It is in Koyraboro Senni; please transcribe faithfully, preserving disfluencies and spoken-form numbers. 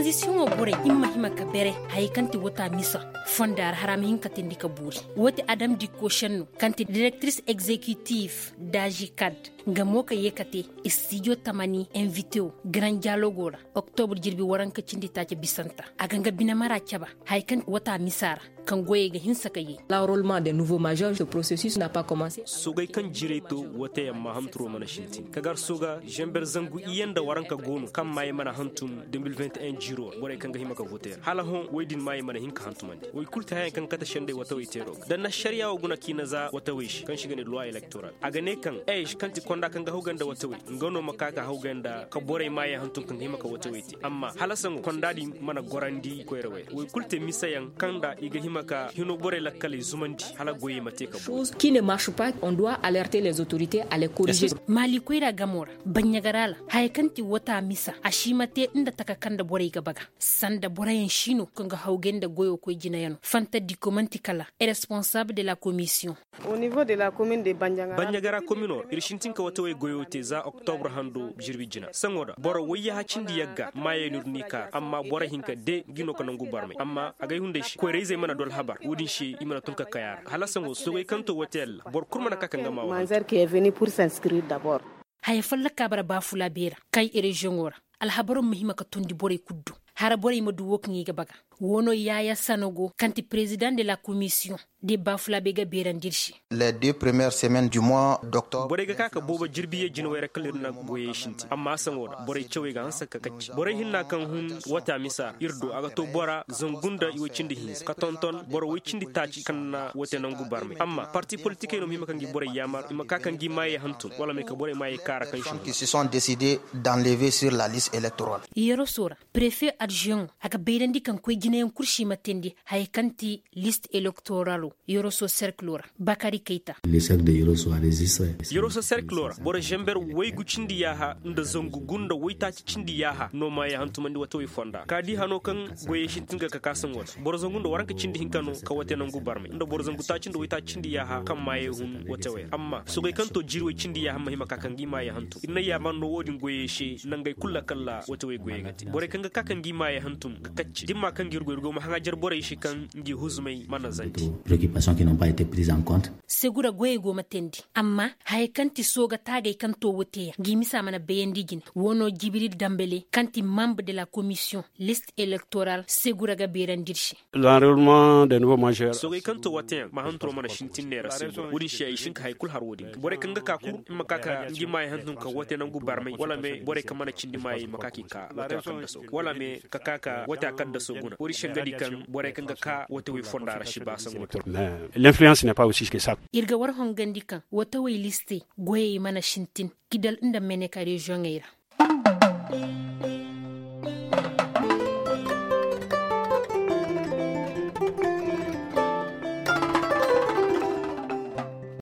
Misiyoŋo borey i ma hima ka bere haya kaŋ ti wata misa fonda ra hara ma hin ka teendi ka buuri. Woo ti adam di koosenno kaŋ ti direktiris egzekitif daazi kad. Nga mo ka yee ka te istijo tamani envitewo garan jaalogo ra. Oktobur jirbi waranka cindi taaci bisanta a ga nga bine mara caba haya kaŋ ti wata misa ra kaŋ goyey ga hinsa ka yee. Laarolman de nuvo mazer se porosesis na pa komanse. Sogey kaŋ jirey to wooteyaŋ ma hanturoo mana sintin ka gar soga zenber zangu iyye nda waranka go no kaŋ maayey mana hantum de mil vinti en jiiro ra borey kaŋ ga hima ka vootey ra hala hõ woy din maayey mana hin ka hantumandi woy kulu ti hayaŋ kaŋ kate sendey watawey teeroo ga da na ašariya wo guna kiina za watawey se kaŋ se i ga ne luwa elektoral a ga ne kaŋ ej kaŋ ti konda kaŋ ga hawgay nda watawey nga no ma ka ka hawgay nda ka borey maayey hantum kaŋ ga hima ka watawey te amma hala saŋo konda din mana gorandi koyrawey ra woy kulu te misayaŋ kaŋ nda i ga hima ka hino borey lakkaley zumandi hala goyey ma te ka boori. Ki ne marche pas on doit alerter les autorités a les corriger. Maali koyra gamo ra baɲɲagara la haya kaŋ ti wata misa a si ma te nda taka kaŋ nda borey ga baga sanda boroyaŋ siino kaŋ ga hawgay nda goyo koy jinayano fanta diko man'ti kala responsable de la commission. Baɲɲagara komino ra ir sintin ka watawey goyo te za oktobur hando jirbi jina saŋo ra boro wayyaha cindi yagga maayey no ir n'i kaara amma boro hinka de ngi no ka nangu barmay amma agay hunday se koyra-izey mana du alhabar wo-din se i mana tun ka kay a ra hala saŋo sogey kaŋ to wate yalla boro kul mana ka ka nga ma wa hantum. Haya folloka bara baafulaabe ra kay reziyoŋo ra alhabaroo ma hima ka tondi borey kul do hara borey ma du woo kaŋ i ga baga woo no yaaya sanogo kaŋ ti perezidaŋ de la komisiyoŋ de baafulaabe ga beerandi ir se. Les deux premières semaines du moi d'octobre. Borey ga ka ka boobo jirbi ye jinawey ra kala ir na goyey sintin amma saŋo ra borey cawey ga hanse ka kacci borey hinna kaŋ hun wata misa ra ir do a ga to bora zangu nda i woy cindi hinza ka tonton boro woy cindi taaci kaŋ na woote nangu barmay amma parti politikey no ma hima ka ngi borey yaamar i ma ka ka ngi maayey hantum wala ma i ka borey maayey kaara kaŋ se hun. Qui se sont décidés d'enlever sur la liste électorale. Yerosoo ra prefe adjoint a ga bayrandi kaŋ koy jinayaŋ kul si ma teendi haya kaŋ ti list elektoralo. Yerosoo serkilo ra bakari kayta. Yerosoo serkilo ra boro zamber waygu cindi yaaha nda zangu gu nda waytaaci cindi yaaha no maayey hantumandi watawey fonda ka di hano kaŋ goyey sintin ga ka kaasaŋo ra boro zangu nda waranka cindi hinka no ka wate nangu barmay nda boro zangu taaci nda waytaaci cindi yaaha kaŋ maayey hun watawey ra amma sogey kaŋ to jiiri way cindi yaaha ma hima ka ka ngi maayey hantum ir na yaamar no wo-din goyey se nangey kul ra kala watawey goyey ga te borey kaŋ ga ka ka ngi maayey hantum ga kacce dimma kaŋ ga ir goy ir go ma haŋajar borey se kaŋ ngi huzumey mana zanti. Segura goyey go ma teendi amma haya kaŋ ti sooga taagey kaŋ to wooteyaŋ ngi misa mana bayandi jine woo no jibril dambele kaŋ ti membre de la komisiyoŋ list elektoral segura ga beerandi ir se. Soogey kaŋ to wateyaŋ ma hanturoo mana sintin neera se boro wo-din se ay sinka hay kul har wo-din ga borey kaŋ ga ka kul i ma ka ka ngi maayey hantum ka wate nangu barmay wala me borey kaŋ mana cindi maayey ma ka k'i ka wate a kaŋ daso wala me ka ka ka wate a kaŋ daso guna wo-din se nga di kaŋ borey kaŋ ga ka wate wey fonda ra si ba saŋ wate. L'influence n'est pas aussi que ça. Ir ga war hongandi kaŋ wate wey listey goyey mana sintin kidal nda meneka reziyoŋey ra.